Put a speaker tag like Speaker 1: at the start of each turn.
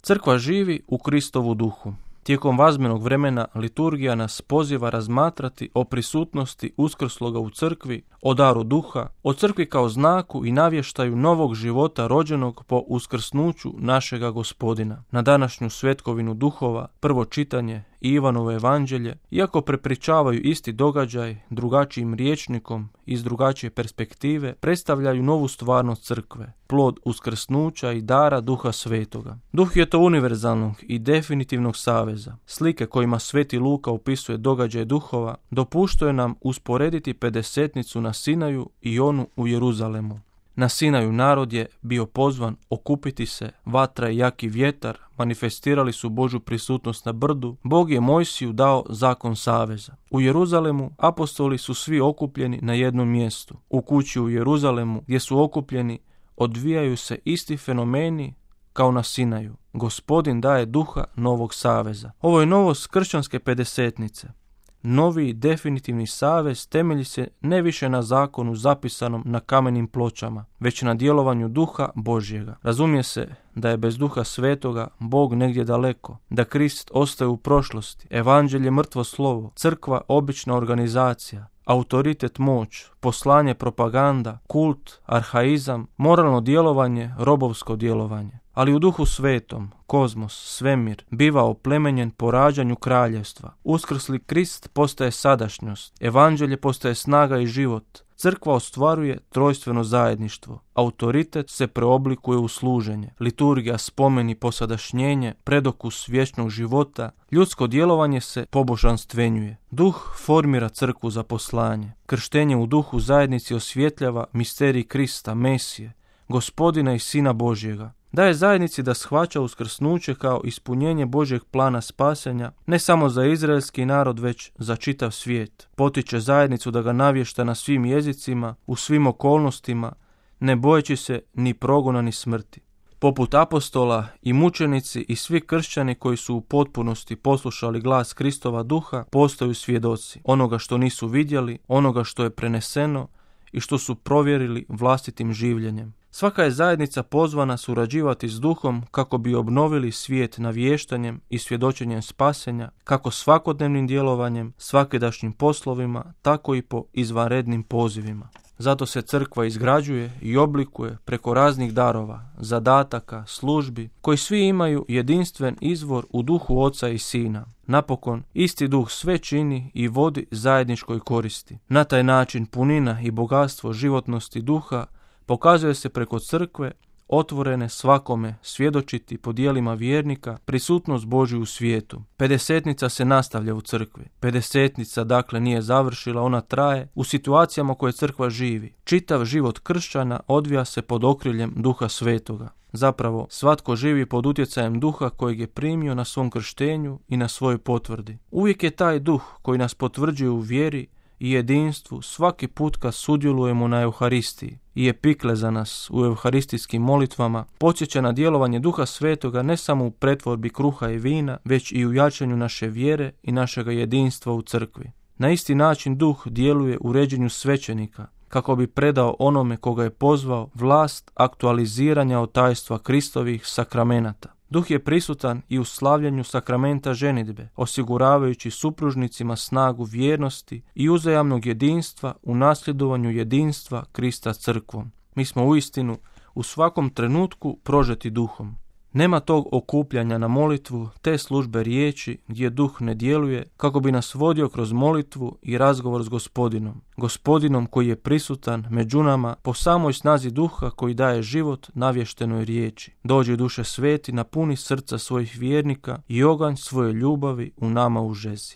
Speaker 1: Crkva živi u Kristovu duhu. Tijekom vazmenog vremena liturgija nas poziva razmatrati o prisutnosti uskrsloga u crkvi, o daru duha, o crkvi kao znaku i navještaju novog života rođenog po uskrsnuću našega Gospodina. Na današnju svetkovinu duhova, prvo čitanje i Ivanovo evanđelje, iako prepričavaju isti događaj drugačijim rječnikom iz drugačije perspektive, predstavljaju novu stvarnost crkve, plod uskrsnuća i dara Duha Svetoga. Duh je to univerzalnog i definitivnog saveza. Slike kojima Sveti Luka opisuje događaje duhova dopuštaju nam usporediti pedesetnicu na Sinaju i onu u Jeruzalemu. Na Sinaju narod je bio pozvan okupiti se, vatra i jaki vjetar manifestirali su Božju prisutnost na brdu, Bog je Mojsiju dao zakon saveza. U Jeruzalemu apostoli su svi okupljeni na jednom mjestu. U kući u Jeruzalemu gdje su okupljeni odvijaju se isti fenomeni kao na Sinaju. Gospodin daje duha novog saveza. Ovo je novost kršćanske pedesetnice. Novi definitivni savez temelji se ne više na zakonu zapisanom na kamenim pločama, već na djelovanju Duha Božjega. Razumije se da je bez Duha Svetoga Bog negdje daleko, da Krist ostaje u prošlosti, evanđelje mrtvo slovo, crkva obična organizacija, autoritet moć, poslanje propaganda, kult, arhaizam, moralno djelovanje, robovsko djelovanje. Ali u Duhu Svetom, kozmos, svemir, biva oplemenjen po rađanju kraljevstva. Uskrsli Krist postaje sadašnjost, evanđelje postaje snaga i život. Crkva ostvaruje trojstveno zajedništvo. Autoritet se preoblikuje u služenje. Liturgija spomeni posadašnjenje, predokus vječnog života. Ljudsko djelovanje se pobožanstvenjuje. Duh formira crkvu za poslanje. Krštenje u duhu zajednici osvjetljava misterij Krista, Mesije, Gospodina i Sina Božjega. Daje zajednici da shvaća uskrsnuće kao ispunjenje Božjeg plana spasenja, ne samo za izraelski narod, već za čitav svijet. Potiče zajednicu da ga navješta na svim jezicima, u svim okolnostima, ne bojeći se ni progona ni smrti. Poput apostola i mučenici i svi kršćani koji su u potpunosti poslušali glas Kristova duha, postaju svjedoci onoga što nisu vidjeli, onoga što je preneseno i što su provjerili vlastitim življenjem. Svaka je zajednica pozvana surađivati s duhom kako bi obnovili svijet navještanjem i svjedočenjem spasenja, kako svakodnevnim djelovanjem, svakidašnjim poslovima, tako i po izvanrednim pozivima. Zato se crkva izgrađuje i oblikuje preko raznih darova, zadataka, službi, koji svi imaju jedinstven izvor u duhu Oca i Sina. Napokon, isti duh sve čini i vodi zajedničkoj koristi. Na taj način punina i bogatstvo životnosti duha pokazuje se preko crkve, otvorene svakome svjedočiti po djelima vjernika prisutnost Božju u svijetu. Pedesetnica se nastavlja u crkvi. Pedesetnica dakle nije završila, ona traje u situacijama koje crkva živi. Čitav život kršćana odvija se pod okriljem Duha Svetoga. Zapravo, svatko živi pod utjecajem duha kojeg je primio na svom krštenju i na svojoj potvrdi. Uvijek je taj duh koji nas potvrđuje u vjeri i jedinstvu svaki put kad sudjelujemo na Euharistiji i epikle za nas u euharistijskim molitvama podsjeća na djelovanje Duha Svetoga ne samo u pretvorbi kruha i vina, već i u jačanju naše vjere i našega jedinstva u crkvi. Na isti način Duh djeluje u ređenju svećenika, kako bi predao onome koga je pozvao vlast aktualiziranja od tajstva Kristovih sakramenata. Duh je prisutan i u slavljanju sakramenta ženidbe, osiguravajući supružnicima snagu vjernosti i uzajamnog jedinstva u nasljedovanju jedinstva Krista crkvom. Mi smo uistinu u svakom trenutku prožeti duhom. Nema tog okupljanja na molitvu, te službe riječi gdje duh ne djeluje kako bi nas vodio kroz molitvu i razgovor s Gospodinom. Gospodinom koji je prisutan među nama po samoj snazi duha koji daje život navještenoj riječi. Dođi Duše Sveti, napuni srca svojih vjernika i oganj svoje ljubavi u nama užezi.